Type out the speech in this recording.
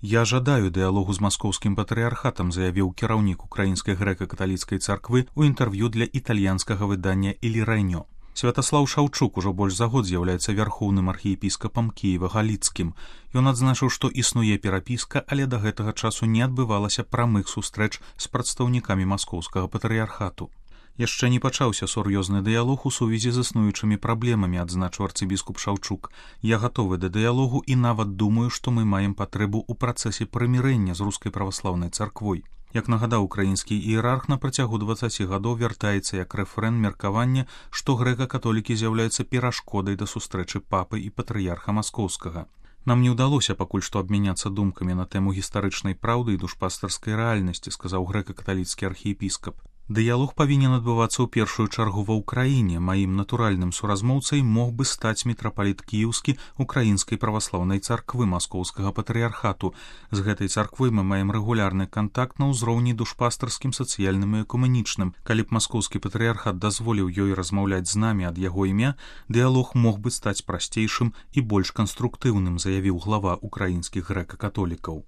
Я жадаю дыялогу з маскоўскім патрыярхатам, заявіў кіраўнік украінскай грэка-каталіцкай царквы ў інтэрв'ю для італьянскага выдання «Il Regno». Святаслаў Шаўчук ужо больш за год з'яўляецца вярхоўным архіепіскапам Кіева-Галіцкім. Ён адзначыў, што існуе перапіска, але да гэтага часу не адбывалася прамых сустрэч з прадстаўнікамі маскоўскага патрыярхату. Яшчэ не пачаўся сур'ёзны дыялог у сувязі з існуючымі праблемамі, адзначыў арцыбіскуп Шаўчук. Я гатовы да дыялогу і нават думаю, што мы маем патрэбу ў працэсе прымірэння з рускай праваслаўнай царквой. Як нагадаў украінскі іерарх, на працягу 20 гадоў вяртаецца як рэфрэн меркавання, што грэка-католікі з'яўляюцца перашкодай да сустрэчы папы і патрыярха маскоўскага. Нам не ўдалося пакуль што абмяняцца думкамі на тэму гістарычнай праўды і душпастарскай рэальнасці, сказаў грэка-каталіцкі архіепіскап. Дыялог павінен адбывацца ў першую чаргу ва ўкраіне. Маім натуральным суразмоўцай мог бы стаць мітрапаліт кіеўскі украінскай праваслаўнай царквы маскоўскага патрыярхату. З гэтай царквой мы маем рэгулярны кантакт на ўзроўні душпастарскім, сацыяльным і экуменічным. Калі б маскоўскі патрыярхат дазволіў ёй размаўляць з намі ад яго імя, дыялог мог бы стаць прасцейшым і больш канструктыўным, заявіў глава украінскіх грэка-католікаў.